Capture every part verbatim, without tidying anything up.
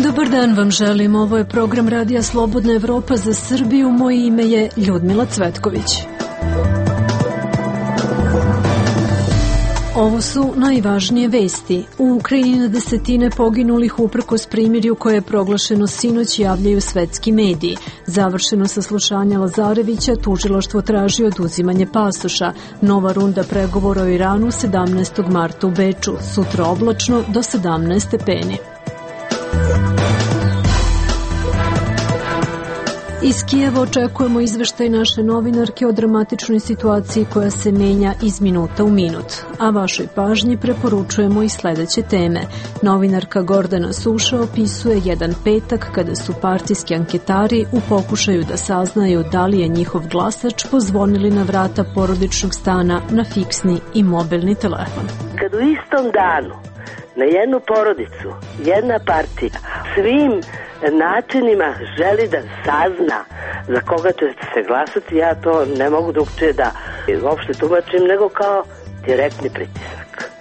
Dobar dan vam želim, ovo je program Radija Slobodna Evropa za Srbiju, moje ime je Ljudmila Cvetković. Ovo su najvažnije vesti. U Ukrajini na desetine poginulih uprkos primirju koje je proglašeno sinoć, javljaju svetski mediji. Završeno saslušanje Lazarevića, tužilaštvo traži oduzimanje pasoša. Nova runda pregovora o Iranu sedamnaestog marta u Beču. Sutra oblačno do sedamnaest stepeni. Iz Kijeva očekujemo izveštaj naše novinarke o dramatičnoj situaciji koja se menja iz minuta u minut. A vašoj pažnji preporučujemo i sledeće teme. Novinarka Gordana Suša opisuje jedan petak kada su partijski anketari u pokušaju da saznaju da li je njihov glasač pozvonili na vrata porodičnog stana na fiksni i mobilni telefon. Kad u istom danu na jednu porodicu, jedna partija svim načinima želi da sazna za koga će se glasati, ja to ne mogu drugčije da uopšte tumačim nego kao direktni pritisak.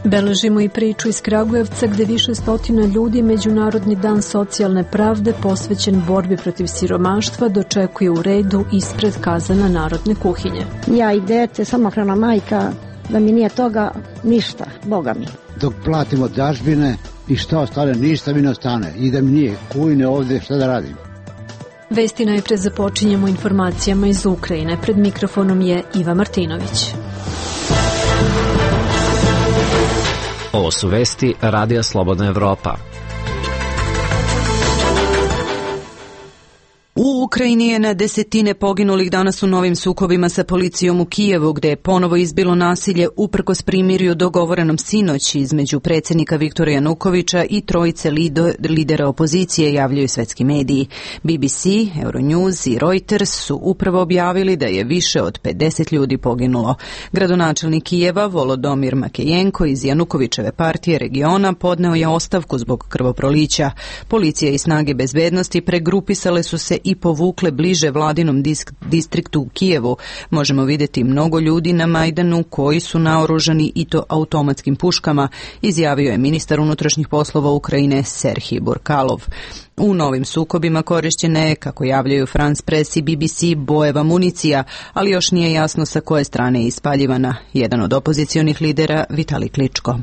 Beležimo i priču iz Kragujevca gde više stotina ljudi Međunarodni dan socijalne pravde posvećen borbi protiv siromaštva dočekuje u redu ispred kazana narodne kuhinje. Ja i dete, samohrana majka, da mi nije toga ništa, Boga mi. Dok platimo dažbine i šta ostane, ništa mi ne ostane. Idem nije, kujne ovde, šta da radim? Vesti najpred započinjemo informacijama iz Ukrajine. Pred mikrofonom je Iva Martinović. Ovo su vesti Radija Slobodna Evropa. U Ukrajini je na desetine poginulih danas u novim sukobima sa policijom u Kijevu, gde je ponovo izbilo nasilje uprkos primirju dogovorenom sinoć između predsjednika Viktora Janukovića i trojice lido, lidera opozicije, javljaju svetski mediji. B B C, Euronews i Reuters su upravo objavili da je više od pedeset ljudi poginulo. Gradonačelnik Kijeva Volodomir Makejenko iz Janukovićeve partije regiona podneo je ostavku zbog krvoprolića. Policija i snage bezbednosti pregrupisale su se i povukle bliže vladinom disk, distriktu u Kijevu. Možemo vidjeti mnogo ljudi na Majdanu koji su naoružani i to automatskim puškama, izjavio je ministar unutrašnjih poslova Ukrajine Serhij Burkalov. U novim sukobima korišćena je, kako javljaju France Press i B B C, bojeva municija, ali još nije jasno sa koje strane je ispaljivana. Jedan od opozicionih lidera, Vitali Kličko.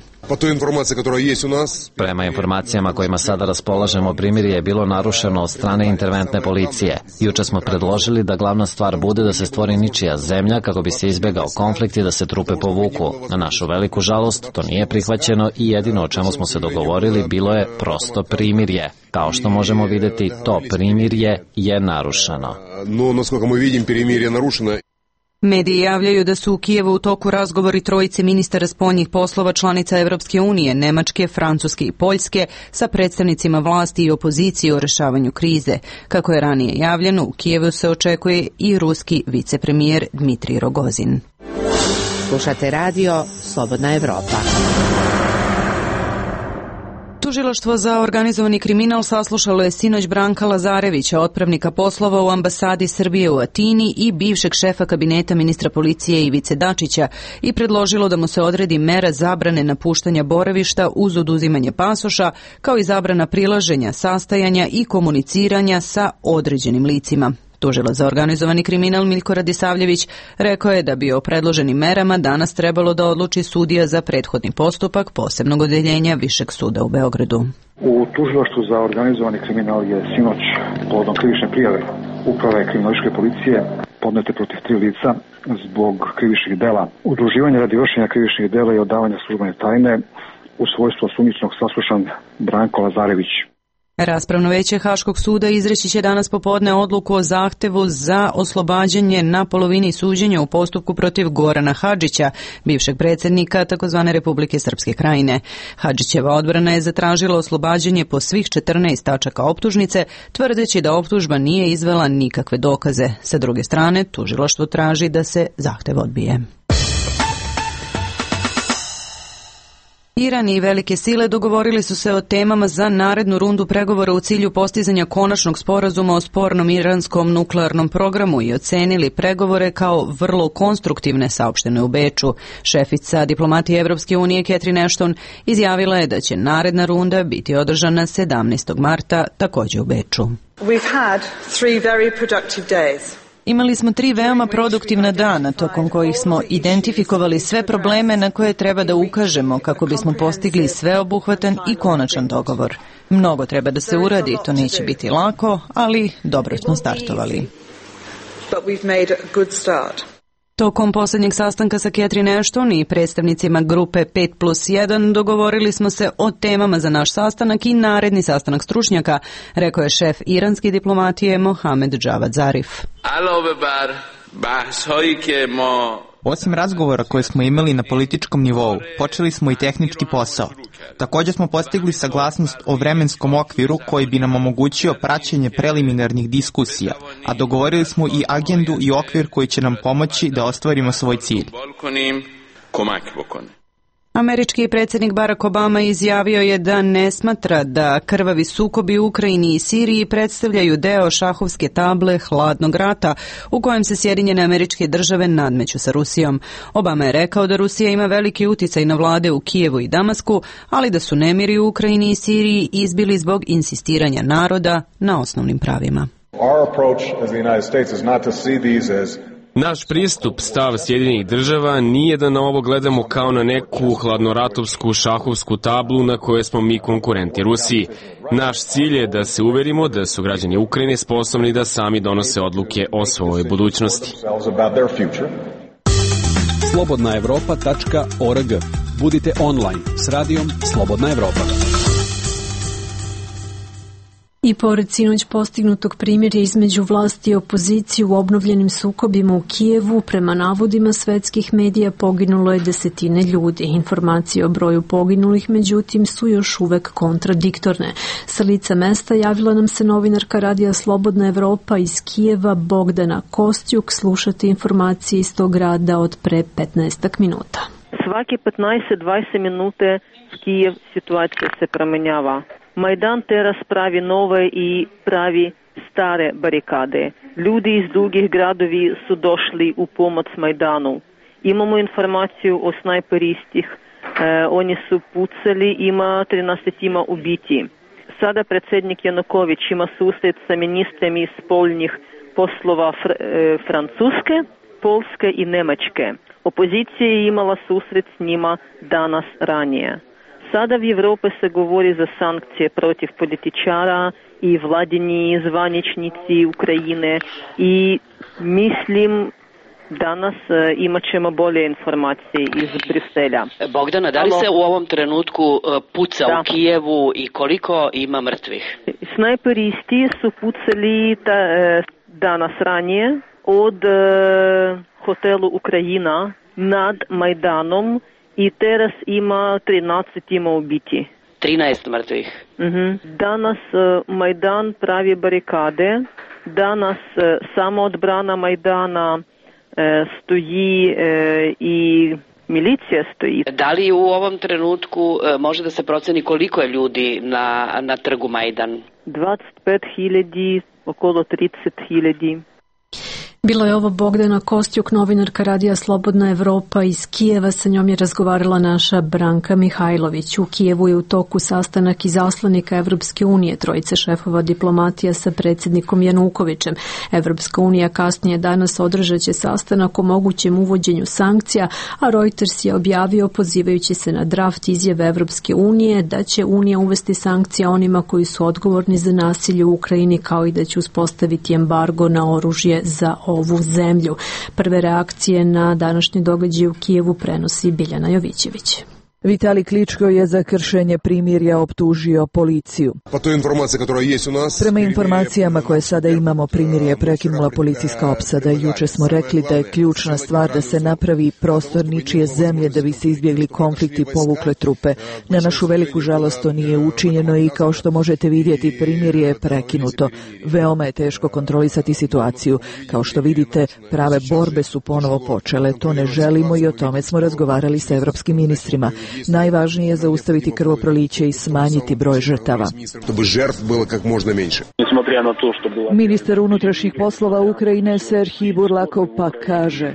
Prema informacijama kojima sada raspolažemo, primirje je bilo narušeno od strane interventne policije. Juče smo predložili da glavna stvar bude da se stvori ničija zemlja kako bi se izbegao konflikt i da se trupe povuku. Na našu veliku žalost, to nije prihvaćeno i jedino o čemu smo se dogovorili bilo je prosto primirje. Kao što možemo vidjeti, to primirje je narušeno. No, naskoliko mi vidim, primirje je narušeno. Mediji javljaju da su u Kijevu u toku razgovori trojice ministara spoljnih poslova članica Evropske unije, Nemačke, Francuske i Poljske, sa predstavnicima vlasti i opozicije o rešavanju krize. Kako je ranije javljeno, u Kijevu se očekuje i ruski vicepremijer Dmitrij Rogozin. Slušate radio Slobodna Evropa. Tužilaštvo za organizovani kriminal saslušalo je sinoć Branka Lazarevića, otpravnika poslova u ambasadi Srbije u Atini i bivšeg šefa kabineta ministra policije Ivice Dačića i predložilo da mu se odredi mera zabrane napuštanja boravišta uz oduzimanje pasoša, kao i zabrana prilaženja, sastajanja i komuniciranja sa određenim licima. Tužilac za organizovani kriminal Miljko Radisavljević rekao je da bi o predloženim merama danas trebalo da odluči sudija za prethodni postupak posebnog odeljenja Višeg suda u Beogradu. U tužilaštvu za organizovani kriminal je sinoć povodom krivične prijave Uprave kriminalističke policije podnete protiv tri lica zbog krivičnih dela, udruživanja radi vršenja krivičnih dela i odavanja službene tajne. U svojstvu osumnjičenog saslušan Branko Lazarević. Raspravno veće Haškog suda izreći će danas popodne odluku o zahtevu za oslobađanje na polovini suđenja u postupku protiv Gorana Hadžića, bivšeg predsjednika tzv. Republike Srpske Krajine. Hadžićeva odbrana je zatražila oslobađanje po svih četrnaest tačaka optužnice, tvrdeći da optužba nije izvela nikakve dokaze. Sa druge strane, tužilaštvo traži da se zahtev odbije. Iran i velike sile dogovorili su se o temama za narednu rundu pregovora u cilju postizanja konačnog sporazuma o spornom iranskom nuklearnom programu i ocenili pregovore kao vrlo konstruktivne, saopštene u Beču. Šefica diplomatije Evropske unije Catherine Ashton izjavila je da će naredna runda biti održana sedamnaestog marta, takođe u Beču. We've had three very productive days. Imali smo tri veoma produktivna dana tokom kojih smo identifikovali sve probleme na koje treba da ukažemo kako bismo postigli sveobuhvatan i konačan dogovor. Mnogo treba da se uradi, to neće biti lako, ali dobro smo startovali. Tokom poslednjeg sastanka sa Catherine Ashton i predstavnicima grupe pet plus jedan dogovorili smo se o temama za naš sastanak i naredni sastanak stručnjaka, rekao je šef iranske diplomatije Mohamed Javad Zarif. Osim razgovora koje smo imali na političkom nivou, počeli smo i tehnički posao. Također smo postigli saglasnost o vremenskom okviru koji bi nam omogućio praćenje preliminarnih diskusija, a dogovorili smo i agendu i okvir koji će nam pomoći da ostvarimo svoj cilj. Američki predsjednik Barack Obama izjavio je da ne smatra da krvavi sukobi u Ukrajini i Siriji predstavljaju deo šahovske table hladnog rata u kojem se Sjedinjene Američke Države nadmeću sa Rusijom. Obama je rekao da Rusija ima veliki uticaj na vlade u Kijevu i Damasku, ali da su nemiri u Ukrajini i Siriji izbili zbog insistiranja naroda na osnovnim pravima. Our approach as the United States is not to see these as Naš pristup, stav Sjedinjenih država, nije da na ovo gledamo kao na neku hladnoratovsku šahovsku tablu na kojoj smo mi konkurenti Rusiji. Naš cilj je da se uverimo da su građani Ukrajine sposobni da sami donose odluke o svojoj budućnosti. slobodna evropa tačka org. Budite online s radijom Slobodna Evropa. I pored sinoć postignutog primirja između vlasti i opozicije u obnovljenim sukobima u Kijevu, prema navodima svetskih medija poginulo je desetine ljudi. Informacije o broju poginulih, međutim, su još uvek kontradiktorne. Sa lica mesta javila nam se novinarka radija Slobodna Evropa iz Kijeva Bogdana Kostjuk. Slušate informacije iz tog grada od pre petnaest minuta. Svaki petnaest do dvadeset minute Kijev situacija se promenjava. Majdan teraz pravi nove i pravi stare barikade. Ljudi iz drugih gradovi su došli u pomoć Majdanu. Imamo informaciju o snajperistih. E, oni su pucali, ima trinaest ubiti. Sada predsjednik Januković ima susret sa ministrem iz spoljnih poslova fr- e, Francuske, Polske i Nemačke. Opozicija je imala susret s njima danas ranije. Sada v Evropi se govori za sankcije protiv političara i vladini zvaničnici Ukrajine i mislim danas imat ćemo bolje informacije iz Briselja. Bogdana, da li se u ovom trenutku puca da. u Kijevu i koliko ima mrtvih? Snajperisti su pucali ta, danas ranije od hotelu Ukrajina nad Majdanom i teraz ima trinaest ima ubiti. trinaest mrtvih. Uh-huh. Danas uh, Majdan pravi barikade. Danas uh, samo odbrana Majdana uh, stoji uh, i milicija stoji. Da li u ovom trenutku uh, može da se proceni koliko je ljudi na, na trgu Majdan? dvadeset pet hiljada, okolo trideset hiljada. Bilo je ovo Bogdana Kostjuk, novinarka radija Slobodna Evropa iz Kijeva. Sa njom je razgovarala naša Branka Mihajlović. U Kijevu je u toku sastanak izaslanika Evropske unije, trojice šefova diplomatija sa predsjednikom Janukovićem. Evropska unija kasnije danas održaće sastanak o mogućem uvođenju sankcija, a Reuters je objavio, pozivajući se na draft izjave Evropske unije, da će Unija uvesti sankcije onima koji su odgovorni za nasilje u Ukrajini, kao i da će uspostaviti embargo na oružje za ovu zemlju. Prve reakcije na današnji događaj u Kijevu prenosi Biljana Jovićević. Vitali Kličko je za kršenje primirja optužio policiju. Pa to je informacija koja je u nas. Prema informacijama koje sada imamo, primirje je prekinula policijska opsada. Juče smo rekli da je ključna stvar da se napravi prostor ničije zemlje da bi se izbjegli konflikti i povukle trupe. Na našu veliku žalost to nije učinjeno i kao što možete vidjeti, primirje je prekinuto. Veoma je teško kontrolisati situaciju. Kao što vidite, prave borbe su ponovo počele. To ne želimo i o tome smo razgovarali sa evropskim ministrima. Najvažnije je zaustaviti krvoproliće i smanjiti broj žrtava. Ministar unutrašnjih poslova Ukrajine Serhij Burlakov pa kaže: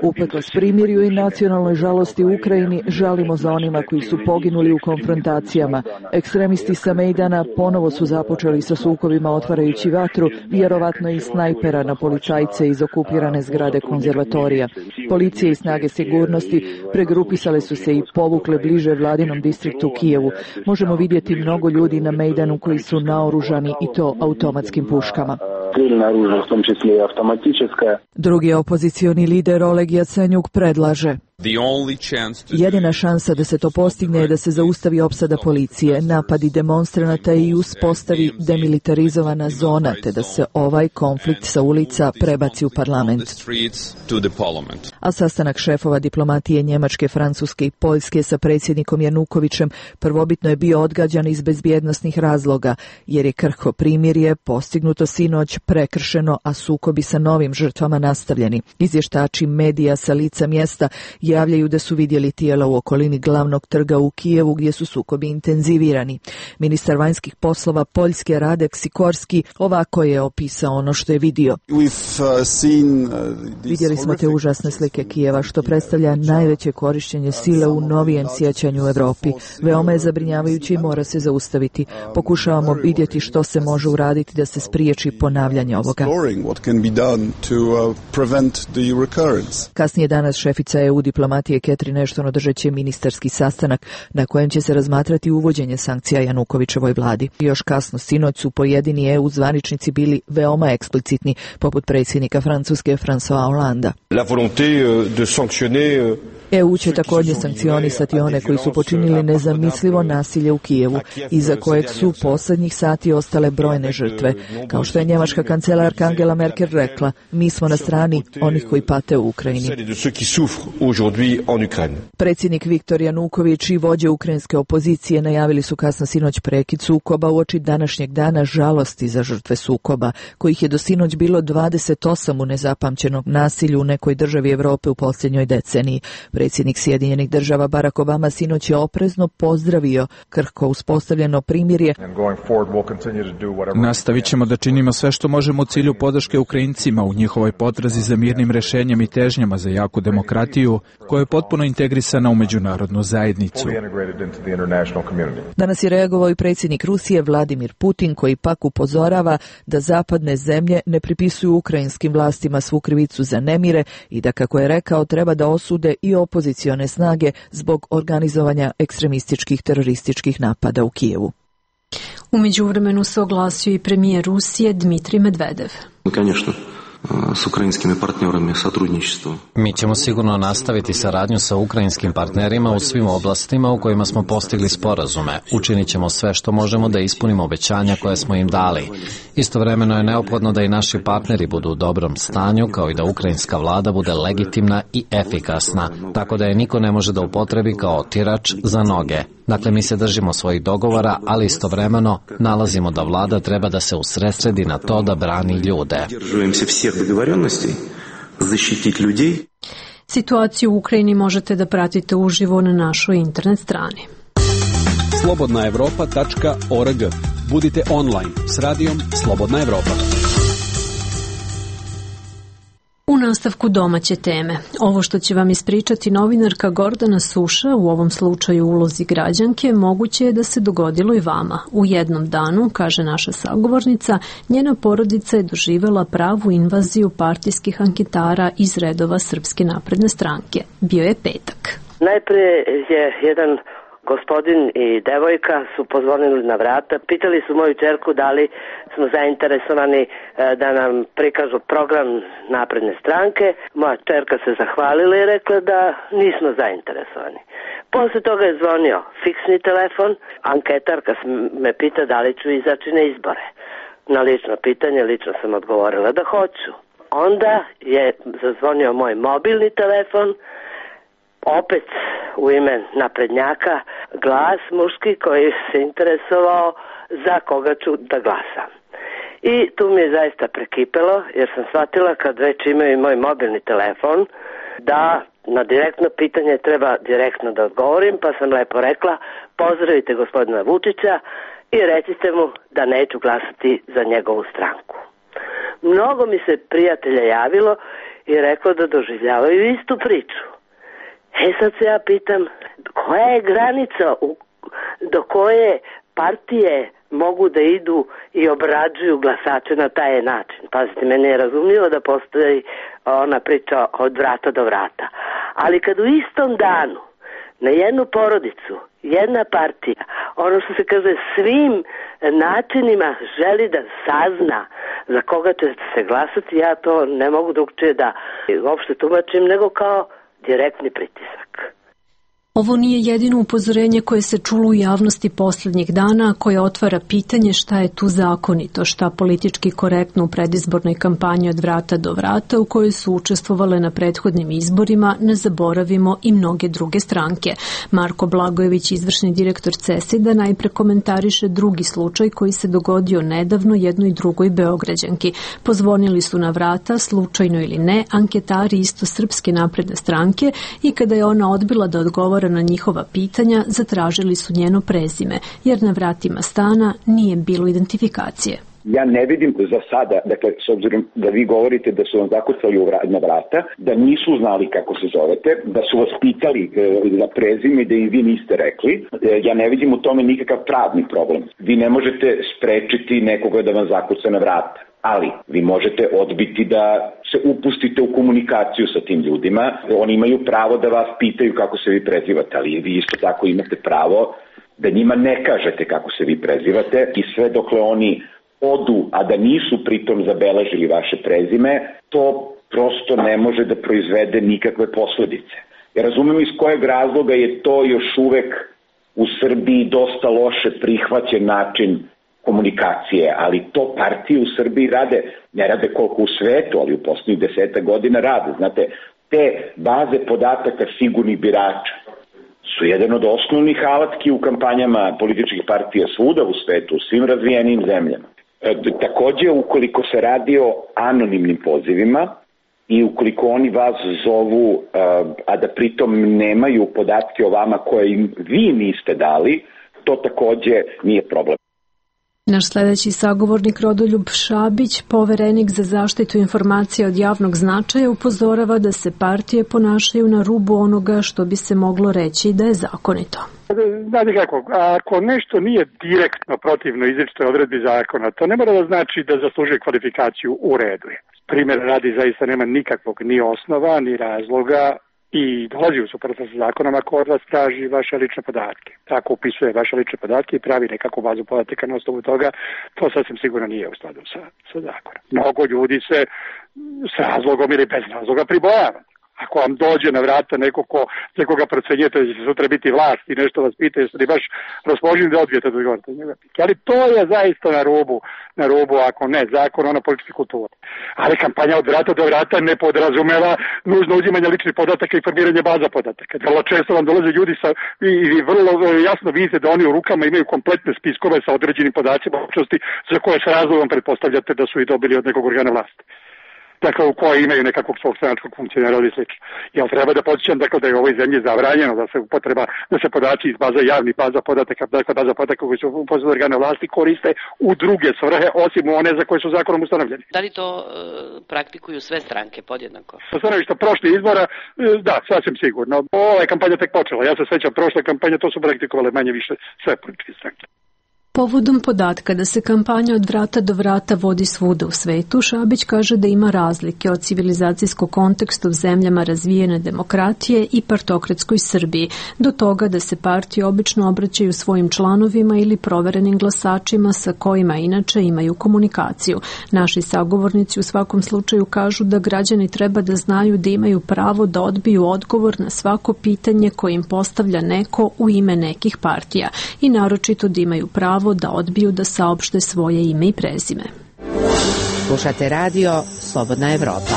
uprkos primirju i nacionalnoj žalosti u Ukrajini, žalimo za onima koji su poginuli u konfrontacijama. Ekstremisti sa Mejdana ponovo su započeli sa sukobima otvarajući vatru, vjerovatno i snajpera na policajce iz okupirane zgrade konzervatorija. Policije i snage sigurnosti pregrupisale su se i povukle bliže vladinom distriktu u Kijevu. Možemo vidjeti mnogo ljudi na Mejdanu koji su naoružani i to automatskim puškama. Drugi opozicioni lider Oleg Jacenjuk predlaže: jedina šansa da se to postigne je da se zaustavi opsada policije, napadi demonstranata i uspostavi demilitarizovana zona, te da se ovaj konflikt sa ulica prebaci u parlament. A sastanak šefova diplomatije Njemačke, Francuske i Poljske sa predsjednikom Janukovićem prvobitno je bio odgađan iz bezbjednosnih razloga, jer je krhko primirje postignuto sinoć prekršeno, a sukobi sa novim žrtvama nastavljeni. Izvještači medija sa lica mjesta javljaju da su vidjeli tijela u okolini glavnog trga u Kijevu gdje su sukobi intenzivirani. Ministar vanjskih poslova Poljske Radek Sikorski ovako je opisao ono što je vidio. Vidjeli smo te užasne slike Kijeva, što predstavlja najveće korištenje sile u novijem sjećanju u Europi. Veoma je zabrinjavajuće i mora se zaustaviti. Pokušavamo vidjeti što se može uraditi da se spriječi ponavljanje ovoga. Kasnije danas šefica E U diplomatije Catherine Ashton održat će ministarski sastanak na kojem će se razmatrati uvođenje sankcija Janukovićevoj vladi. Još kasno sinoć su pojedini E U zvaničnici bili veoma eksplicitni, poput predsjednika Francuske François Hollanda. E U će također sankcionisati one koji su počinili nezamislivo nasilje u Kijevu, iza kojeg su posljednjih sati ostale brojne žrtve. Kao što je njemačka kancelarka Angela Merkel rekla, mi smo na strani onih koji pate u Ukrajini. Predsjednik Viktor Januković i vođe ukrajinske opozicije najavili su kasno sinoć prekid sukoba uoči današnjeg dana žalosti za žrtve sukoba, kojih je do sinoć bilo dvadeset osam u nezapamćenom nasilju u nekoj državi Europe u posljednjoj deceniji. Predsjednik Sjedinjenih država Barack Obama sinoć je oprezno pozdravio krhko uspostavljeno primirje. Nastavit ćemo da činimo sve što možemo u cilju podrške Ukrajincima u njihovoj potrazi za mirnim rešenjem i težnjama za jaku demokratiju koja je potpuno integrisana u međunarodnu zajednicu. Danas je reagovao i predsjednik Rusije Vladimir Putin, koji pak upozorava da zapadne zemlje ne pripisuju ukrajinskim vlastima svu krivicu za nemire i da, kako je rekao, treba da osude i opozicione snage zbog organizovanja ekstremističkih terorističkih napada u Kijevu. U međuvremenu se oglasio i premijer Rusije Dmitrij Medvedev. s ukrajinskim partnerima сотрудничество. Mi ćemo sigurno nastaviti saradnju sa ukrajinskim partnerima u svim oblastima u kojima smo postigli sporazume. Učinit ćemo sve što možemo da ispunimo obećanja koje smo im dali. Istovremeno je neophodno da i naši partneri budu u dobrom stanju, kao i da ukrajinska vlada bude legitimna i efikasna, tako da je niko ne može da upotrebi kao tirač za noge. Dakle, mi se držimo svojih dogovora, ali istovremeno nalazimo da vlada treba da se usredsredi na to da brani ljude. Situaciju u Ukrajini možete da pratite uživo na našoj internet strani. slobodna evropa tačka org. Budite online s radijom Slobodna Evropa. U nastavku domaće teme. Ovo što će vam ispričati novinarka Gordana Suša, u ovom slučaju ulozi građanke, moguće je da se dogodilo i vama. U jednom danu, kaže naša sagovornica, njena porodica je doživela pravu invaziju partijskih anketara iz redova Srpske napredne stranke. Bio je petak. Najprije je jedan gospodin i devojka su pozvonili na vrata, pitali su moju ćerku da li smo zainteresovani da nam prikažu program napredne stranke. Moja ćerka se zahvalila i rekla da nismo zainteresovani. Posle toga je zvonio fiksni telefon, anketarka me pita da li ću izaći na izbore. Na lično pitanje lično sam odgovorila da hoću. Onda je zazvonio moj mobilni telefon, opet u ime naprednjaka, glas muški koji se interesovao za koga ću da glasam. I tu mi je zaista prekipelo, jer sam shvatila kad već imaju moj mobilni telefon da na direktno pitanje treba direktno da odgovorim, pa sam lepo rekla pozdravite gospodina Vučića i recite mu da neću glasati za njegovu stranku. Mnogo mi se prijatelja javilo i reklo da doživljavaju istu priču. E sad se ja pitam, koja je granica u, do koje partije mogu da idu i obrađuju glasače na taj način? Pazite, meni je razumljivo da postoji ona priča od vrata do vrata. Ali kad u istom danu na jednu porodicu, jedna partija, ono što se kaže svim načinima želi da sazna za koga će se glasati, ja to ne mogu drugčije da uopšte tumačim nego kao direktni pritisak. Ovo nije jedino upozorenje koje se čulo u javnosti poslednjih dana, koje otvara pitanje šta je tu zakonito, šta politički korektno u predizbornoj kampanji od vrata do vrata u kojoj su učestvovale na prethodnim izborima, ne zaboravimo i mnoge druge stranke. Marko Blagojević, izvršni direktor CESID-a, najpre komentariše drugi slučaj koji se dogodio nedavno jednoj drugoj Beograđanki. Pozvonili su na vrata, slučajno ili ne, anketari isto Srpske napredne stranke i kada je ona odbila da odgovara na njihova pitanja, zatražili su njeno prezime, jer na vratima stana nije bilo identifikacije. Ja ne vidim za sada, dakle, s obzirom da vi govorite da su vam zakucali na vrata, da nisu znali kako se zovete, da su vas pitali za prezime i da i vi niste rekli, ja ne vidim u tome nikakav pravni problem. Vi ne možete sprečiti nekoga da vam zakuca na vrata. Ali vi možete odbiti da se upustite u komunikaciju sa tim ljudima. Oni imaju pravo da vas pitaju kako se vi prezivate, ali vi isto tako imate pravo da njima ne kažete kako se vi prezivate i sve dokle oni odu, a da nisu pritom zabeležili vaše prezime, to prosto ne može da proizvede nikakve posledice. Ja razumem iz kojeg razloga je to još uvek u Srbiji dosta loše prihvaćen način komunikacije, ali to partije u Srbiji rade, ne rade koliko u svetu, ali u poslednjih deseta godina rade. Znate, te baze podataka sigurnih birača su jedan od osnovnih alatki u kampanjama političkih partija svuda u svetu, u svim razvijenim zemljama. E, takođe, ukoliko se radi o anonimnim pozivima i ukoliko oni vas zovu, a da pritom nemaju podatke o vama koje im vi niste dali, to takođe nije problem. Naš sledeći sagovornik Rodoljub Šabić, poverenik za zaštitu informacija od javnog značaja, upozorava da se partije ponašaju na rubu onoga što bi se moglo reći da je zakonito. Znate kako, ako nešto nije direktno protivno izričitoj odredbi zakona, to ne mora da znači da zaslužuje kvalifikaciju u redu. Primjer radi zaista nema nikakvog ni osnova, ni razloga i dolazi u suprotnost sa zakonom ako od vas traži vaše lične podatke. Tako upisuje vaše lične podatke i pravi nekakvu bazu podataka na osnovu toga, to sasvim sigurno nije u skladu sa, sa zakonom. Mnogo ljudi se s razlogom ili bez razloga pribojava. Ako vam dođe na vrata neko ko, za koga procenjujete da će sutra biti vlast i nešto vas pita, jeste li baš raspoloženi da odbijete da odgovorite njega. Ali to je zaista na rubu, na rubu, ako ne zakon, ona politička kultura. Ali kampanja od vrata do vrata ne podrazumeva nužno uzimanje ličnih podataka i formiranje baza podataka. Vrlo često vam dolaze ljudi sa, i, i vrlo jasno vidite da oni u rukama imaju kompletne spiskove sa određenim podacima općnosti za koje s razlogom pretpostavljate da su i dobili od nekog organa vlasti. Dakle, u kojoj imaju nekakvog svog stranačkog funkcionera ili slično. Jel treba da podsjećam dakle, da je u ovoj zemlji zabranjeno da se upotreba, da se podaci iz baza javnih baza podataka, dakle baza podataka koji su u posledu organa vlasti koriste u druge svrhe, osim one za koje su zakonom ustanovljeni. Da li to e, praktikuju sve stranke podjednako? Sa stanovišta prošlih izbora, e, da, sasvim sigurno. Ova je kampanja tek počela. Ja se sećam prošle kampanje, to su praktikovale manje više sve političke stranke. Povodom podatka da se kampanja od vrata do vrata vodi svuda u svetu, Šabić kaže da ima razlike od civilizacijskog konteksta u zemljama razvijene demokratije i partokratskoj Srbiji, do toga da se partije obično obraćaju svojim članovima ili proverenim glasačima sa kojima inače imaju komunikaciju. Naši sagovornici u svakom slučaju kažu da građani treba da znaju da imaju pravo da odbiju odgovor na svako pitanje koje im postavlja neko u ime nekih partija i naročito da imaju pravo da odbiju da saopšte svoje ime i prezime. Slušate radio Slobodna Evropa.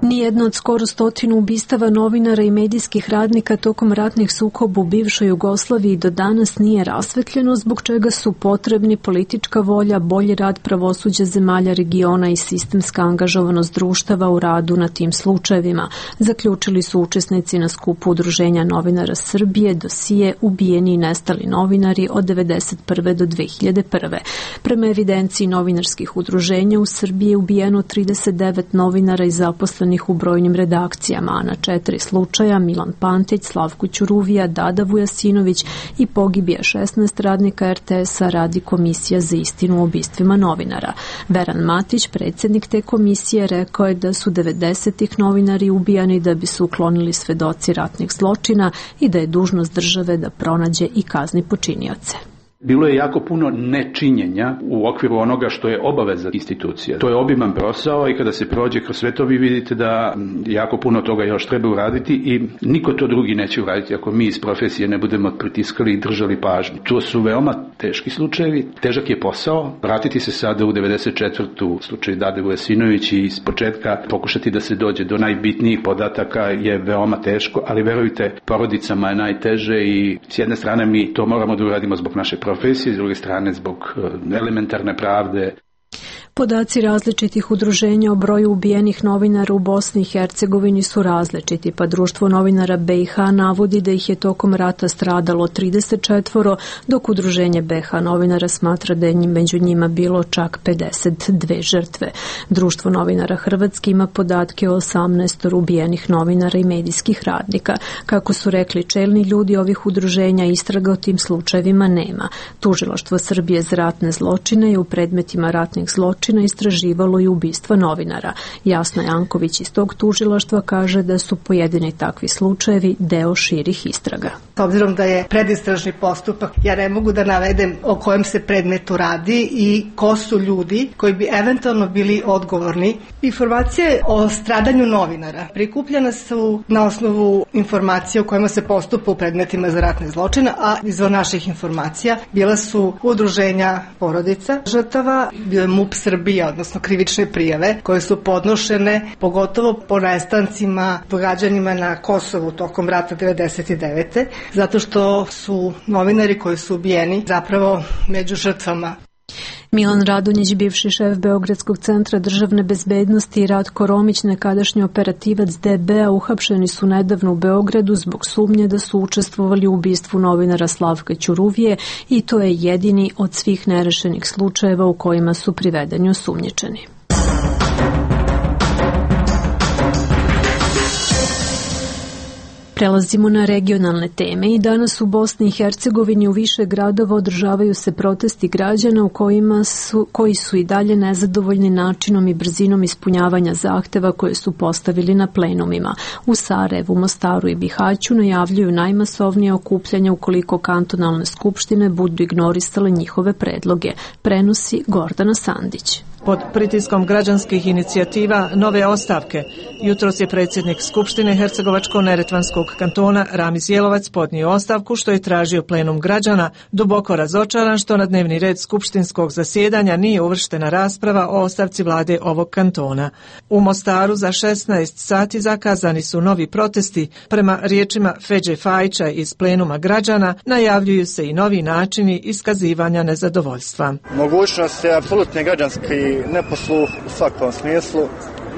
Nije jedna od skoro stotinu ubistava novinara i medijskih radnika tokom ratnih sukoba u bivšoj Jugoslaviji do danas nije rasvetljeno, zbog čega su potrebni politička volja, bolji rad pravosuđa zemalja regiona i sistemska angažovanost društava u radu na tim slučajevima, zaključili su učesnici na skupu Udruženja novinara Srbije dosije Ubijeni i nestali novinari od devedeset prve do dve hiljade prve. Prema evidenciji novinarskih udruženja u Srbiji je ubijeno trideset devet novinara i zaposlenih u brojnim redakcijama, a na četiri slučaja Milan Pantić, Slavko Ćuruvija, Dada Vujasinović i pogibija šesnaest radnika er te es-a radi Komisija za istinu o ubistvima novinara. Veran Matić, predsjednik te komisije, rekao je da su devedesetih novinari ubijani da bi se uklonili svedoci ratnih zločina i da je dužnost države da pronađe i kazni počinioce. Bilo je jako puno nečinjenja u okviru onoga što je obaveza institucija. To je obiman posao i kada se prođe kroz sve to vi vidite da jako puno toga još treba uraditi i niko to drugi neće uraditi ako mi iz profesije ne budemo pritiskali i držali pažnju. To su veoma teški slučajevi, težak je posao. Vratiti se sada u devedeset četvrtu slučaj Dade Vujasinović i iz početka pokušati da se dođe do najbitnijih podataka je veoma teško, ali verujte, porodicama je najteže i s jedne strane mi to moramo da uradimo zbog naše profesije, s druge strane zbog elementarne pravde. Podaci različitih udruženja o broju ubijenih novinara u Bosni i Hercegovini su različiti, pa Društvo novinara be i ha navodi da ih je tokom rata stradalo trideset četvoro, dok Udruženje be ha novinara smatra da je među njima bilo čak pedeset dve žrtve. Društvo novinara Hrvatske ima podatke o osamnaest ubijenih novinara i medijskih radnika. Kako su rekli čelni ljudi ovih udruženja, istraga o tim slučajevima nema. Tužilaštvo Srbije za ratne zločine je u predmetima ratnih zločina istraživalo i ubistva novinara. Jasna Janković iz tog tužilaštva kaže da su pojedini takvi slučajevi deo širih istraga. S obzirom da je predistražni postupak, ja ne mogu da navedem o kojem se predmetu radi i ko su ljudi koji bi eventualno bili odgovorni. Informacije o stradanju novinara prikupljene su na osnovu informacija o kojima se postupa u predmetima za ratne zločine, a izvor naših informacija bila su udruženja porodica žrtava, bio je MUP Srbija, odnosno krivične prijave koje su podnošene pogotovo po nestancima, događanjima na Kosovu tokom rata devedeset devete zato što su novinari koji su ubijeni zapravo među žrtvama. Milan Radonjić, bivši šef Beogradskog centra državne bezbednosti, i Ratko Romić, nekadašnji operativac de be a, uhapšeni su nedavno u Beogradu zbog sumnje da su učestvovali u ubistvu novinara Slavka Ćuruvije i to je jedini od svih nerešenih slučajeva u kojima su privedeni osumnjičeni. Prelazimo na regionalne teme i danas u Bosni i Hercegovini u više gradova održavaju se protesti građana u kojima su, koji su i dalje nezadovoljni načinom i brzinom ispunjavanja zahteva koje su postavili na plenumima. U Sarajevu, Mostaru i Bihaću najavljuju najmasovnije okupljanja ukoliko kantonalne skupštine budu ignorisale njihove predloge. Prenosi Gordana Sandić. Pod pritiskom građanskih inicijativa nove ostavke, jutros je predsjednik Skupštine Hercegovačko-Neretvanskog kantona Ramiz Jelovac podnio ostavku što je tražio plenum građana, duboko razočaran što na dnevni red skupštinskog zasjedanja nije uvrštena rasprava o ostavci vlade ovog kantona. U Mostaru za šesnaest sati zakazani su novi protesti. Prema riječima Feđe Fajića iz plenuma građana najavljuju se i novi načini iskazivanja nezadovoljstva. Mogućnost je apsolutni građanski neposluh u svakom smislu.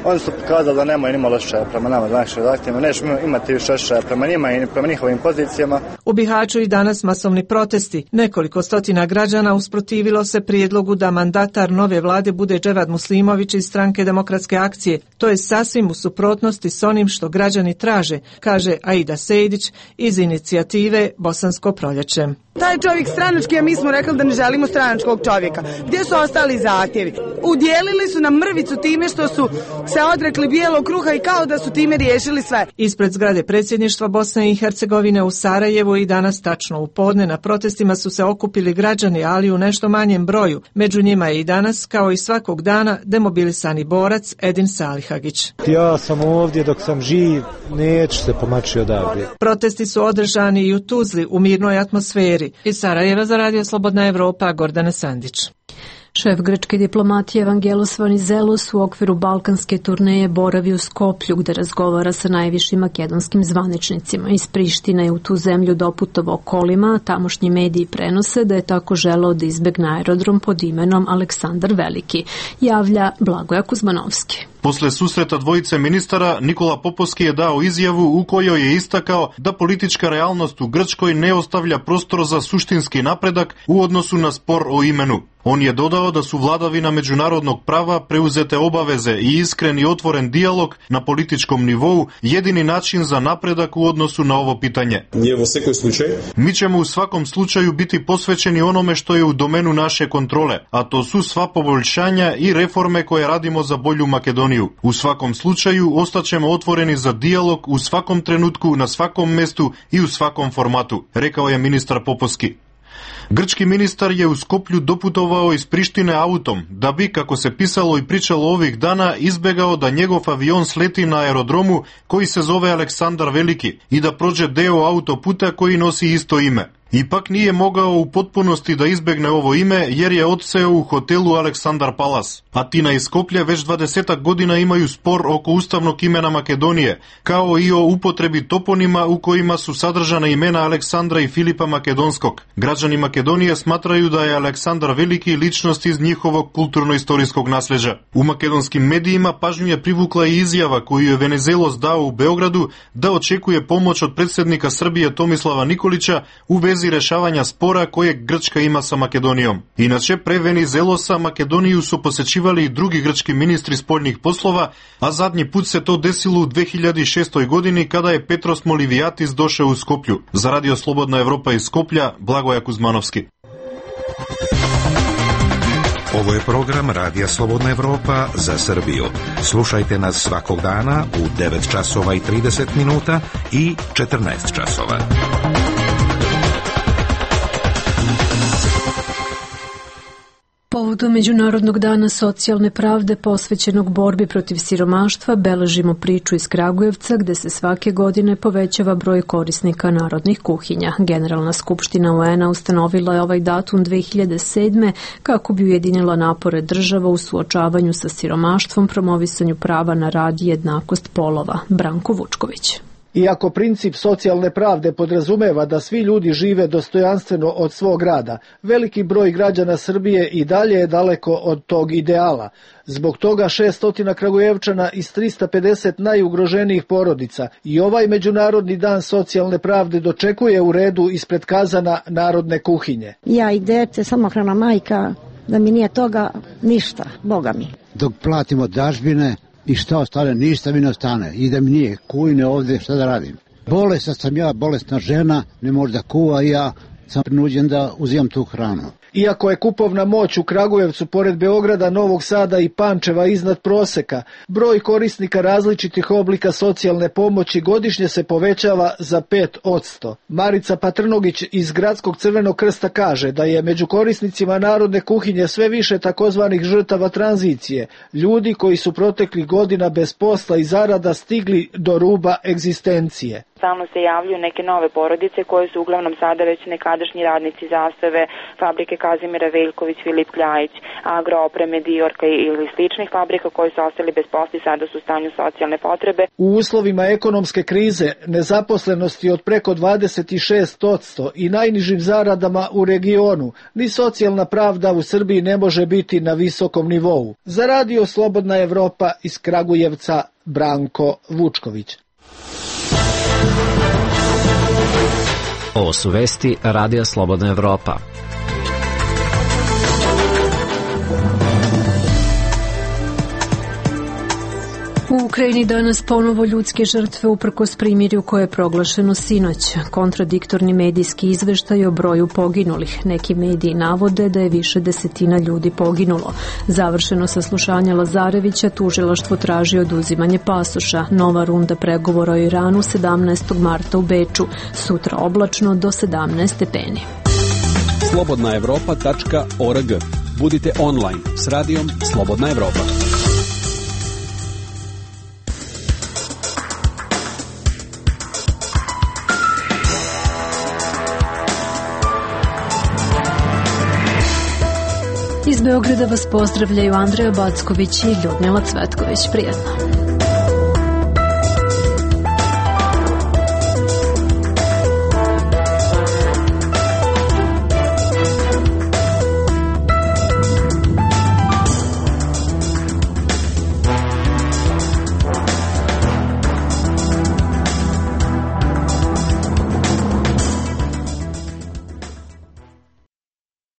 Oni su pokazali da nemaju ni malo osjećaja prema nama za naše zahtjeve, nećemo imati više osjećaja prema njima i prema njihovim pozicijama. U Bihaću i danas masovni protesti. Nekoliko stotina građana usprotivilo se prijedlogu da mandatar nove vlade bude Dževad Muslimović iz Stranke demokratske akcije. To je sasvim u suprotnosti s onim što građani traže, kaže Aida Sejdić iz inicijative Bosansko proljeće. Taj čovjek stranački, a mi smo rekli da ne želimo stranačkog čovjeka. Gdje su ostali zahtjevi? Udjelili su nam mrvicu time što su se odrekli bijelog kruha i kao da su time riješili sve. Ispred zgrade predsjedništva Bosne i Hercegovine u Sarajevu i danas tačno u podne na protestima su se okupili građani, ali u nešto manjem broju. Među njima je i danas, kao i svakog dana, demobilisani borac Edin Salihagić. Ja sam ovdje dok sam živ, neću se pomaći odavdje. Protesti su održani i u Tuzli u mirnoj atmosferi. Iz Sarajeva za Radio Slobodna Evropa, Gordana Sandić. Šef grčke diplomatije Evangelos Venizelos u okviru balkanske turneje boravi u Skoplju gde razgovara sa najvišim makedonskim zvaničnicima. Iz Prištine je u tu zemlju doputovao kolima, a tamošnji mediji prenose da je tako želeo da izbegne aerodrom pod imenom Aleksandar Veliki, javlja Blagoja Kuzmanovski. Posle susreta dvojice ministara, Nikola Popovski je dao izjavu u kojoj je istakao da politička realnost u Grčkoj ne ostavlja prostor za suštinski napredak u odnosu na spor o imenu. On je dodao da su vladavina međunarodnog prava, preuzete obaveze i iskren i otvoren dijalog na političkom nivou jedini način za napredak u odnosu na ovo pitanje. Mi ćemo u svakom slučaju biti posvećeni onome što je u domenu naše kontrole, a to su sva poboljšanja i reforme koje radimo za bolju Makedoniju. U svakom slučaju ostaćemo otvoreni za dijalog u svakom trenutku, na svakom mestu i u svakom formatu, rekao je ministar Popovski. Grčki ministar je u Skoplju doputovao iz Prištine autom, da bi, kako se pisalo i pričalo ovih dana, izbegao da njegov avion sleti na aerodromu koji se zove Aleksandar Veliki i da prođe deo autoputa koji nosi isto ime. Ipak nije mogao u potpunosti da izbegne ovo ime jer je odseo u hotelu Aleksandar Palas. Atina i Skoplje već dvadesetak godina imaju spor oko ustavnog imena Makedonije, kao i o upotrebi toponima u kojima su sadržana imena Aleksandra i Filipa Makedonskog. Građani Makedonije smatraju da je Aleksandar Veliki ličnost iz njihovog kulturno-istorijskog nasleđa. U makedonskim medijima pažnju je privukla i izjava koju je Venizelos dao u Beogradu da očekuje pomoć od predsjednika Srbije Tomislava Nikolića u vezi rešavanja spora kojeg Grčka ima sa Makedonijom. Inače, pre Venizelosa Makedoniju su posećivali i drugi grčki ministri spoljnih poslova, a zadnji put se to desilo u dve hiljade šestoj godini kada je Petros Molivijatis došao u Skoplju. Za Radio Slobodna Evropa iz Skoplja, Blagoja Kuzmanovski. Ovo je program Radija Slobodna Evropa za Srbiju. Slušajte nas svakog dana u devet časova i trideset minuta i četrnaest časova. Povodom Međunarodnog dana socijalne pravde posvećenog borbi protiv siromaštva beležimo priču iz Kragujevca gde se svake godine povećava broj korisnika narodnih kuhinja. Generalna skupština U N-a ustanovila je ovaj datum dve hiljade sedme kako bi ujedinila napore država u suočavanju sa siromaštvom, promovisanju prava na rad i jednakost polova. Branko Vučković. Iako princip socijalne pravde podrazumeva da svi ljudi žive dostojanstveno od svog rada, veliki broj građana Srbije i dalje je daleko od tog ideala. Zbog toga šesto Kragujevčana iz trista pedeset najugroženijih porodica i ovaj Međunarodni dan socijalne pravde dočekuje u redu ispred kazana narodne kuhinje. Ja i dete, samohrana majka, da mi nije toga ništa, Boga mi. Dok platimo dažbine, i šta ostane, ništa mi ne ostane. I da mi nije kujne ovde, šta da radim. Bolesna sam ja, bolesna žena, ne može da kuva i ja sam prinuđen da uzimam tu hranu. Iako je kupovna moć u Kragujevcu pored Beograda, Novog Sada i Pančeva iznad proseka, broj korisnika različitih oblika socijalne pomoći godišnje se povećava za pet posto. Marica Patrnogić iz Gradskog Crvenog krsta kaže da je među korisnicima narodne kuhinje sve više takozvanih žrtava tranzicije, ljudi koji su proteklih godina bez posla i zarada stigli do ruba egzistencije. Stalno se javljaju neke nove porodice koje su uglavnom sada već nekadašnji radnici Zastave, fabrike Kazimira Veljković, Filip Kljajić, Agroopreme, Dijorka ili sličnih fabrika koji su ostali bez posla i sada su u stanju socijalne potrebe. U uslovima ekonomske krize, nezaposlenosti od preko dvadeset šest posto i najnižim zaradama u regionu, ni socijalna pravda u Srbiji ne može biti na visokom nivou. Za Radio Slobodna Evropa iz Kragujevca, Branko Vučković. Ovo su vesti Radija Slobodna Evropa. U Ukrajini danas ponovo ljudske žrtve uprkos primirju koje je proglašeno sinoć. Kontradiktorni medijski izveštaj o broju poginulih. Neki mediji navode da je više desetina ljudi poginulo. Završeno saslušanje Lazarevića, tužilaštvo traži oduzimanje pasoša. Nova runda pregovora o Iranu sedamnaestog marta u Beču. Sutra oblačno do sedamnaest stepeni. slobodna evropa tačka org. Budite online s radijom Slobodna Evropa. Iz Beograda vas pozdravljaju Andreja Backović i Ljudmila Cvetković. Prijetno.